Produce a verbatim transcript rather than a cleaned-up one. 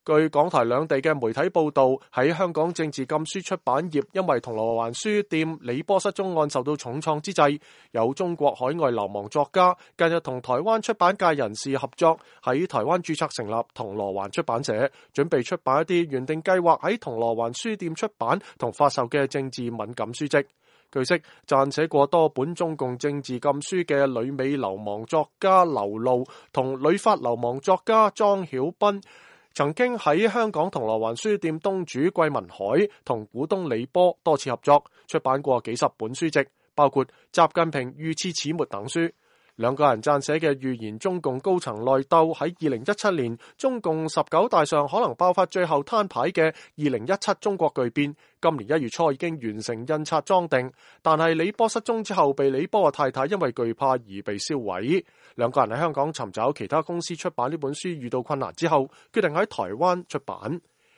據港台兩地嘅媒體報道，喺香港政治禁書出版業因為銅鑼灣書店李波失蹤案受到重創之際，有中國海外流亡作家近日同台灣出版界人士合作，喺台灣註冊成立銅鑼灣出版社，準備出版一啲原定計劃喺銅鑼灣書店出版同發售嘅政治敏感書籍。據悉，撰寫過多本中共政治禁書嘅旅美流亡作家劉露同旅法流亡作家莊曉斌，曾經喺香港銅鑼灣書店東主桂民海同股東李波多次合作，出版過幾十本書籍，包括《習近平遇刺始末》等書。兩個人撰寫嘅預言中共高層內鬥喺二零一七年中共十九大上可能爆發最後攤牌嘅二零一七中國巨變，今年一月初已經完成印刷裝訂，但係李波失蹤之後，被李波嘅太太因為懼怕而被銷毀。兩個人喺香港尋找其他公司出版呢本書遇到困難之後，決定喺台灣出版。